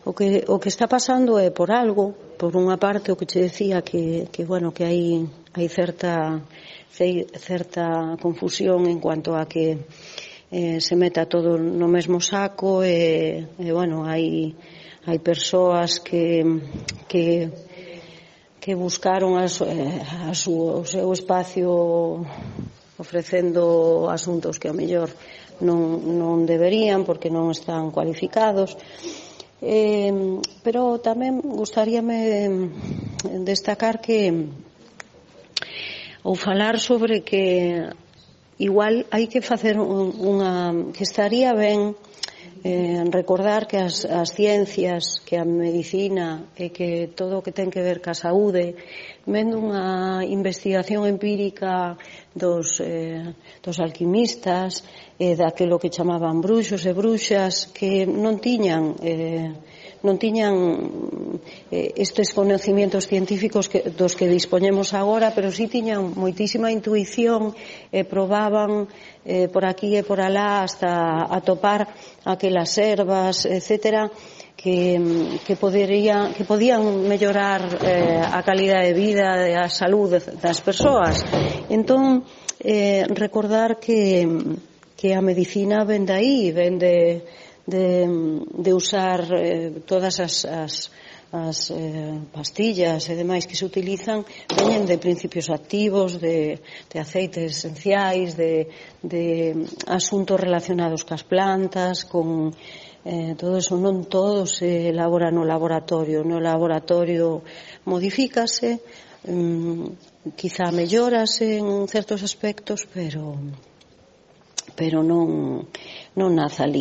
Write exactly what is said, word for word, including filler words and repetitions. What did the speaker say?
o que o que está pasando é por algo, por unha parte o que che decía que que bueno, que hai hai certa certa confusión en cuanto a que eh, se meta todo no mesmo saco e, e bueno, hai hai persoas que que que buscaron a, a su, o seu espacio ofrecendo asuntos que ao mellor non, non deberían porque non están cualificados, eh, pero tamén gustaríame destacar que ou falar sobre que igual hai que facer unha, que estaría ben eh, recordar que as, as ciencias, que a medicina e que todo o que ten que ver ca saúde, vendo unha investigación empírica dos, eh, dos alquimistas e eh, daquilo que chamaban bruxos e bruxas que non tiñan eh, non tiñan eh, estes conocimientos científicos que, dos que dispoñemos agora, pero sí tiñan moitísima intuición e probaban eh, por aquí e por alá hasta atopar aquelas ervas, etcétera, que, que, podería, que podían mellorar eh, a calidade de vida e a saúde das persoas. Entón, eh, recordar que, que a medicina ven de aí, ven de De, de usar eh, todas as, as, as eh, pastillas e demais que se utilizan veñen de principios activos, de, de aceites esenciais, de, de asuntos relacionados cas plantas, con eh, todo eso. Non todo se elabora no laboratorio. No laboratorio modifícase, um, quizá mellórase en certos aspectos, pero pero non, non nace ali.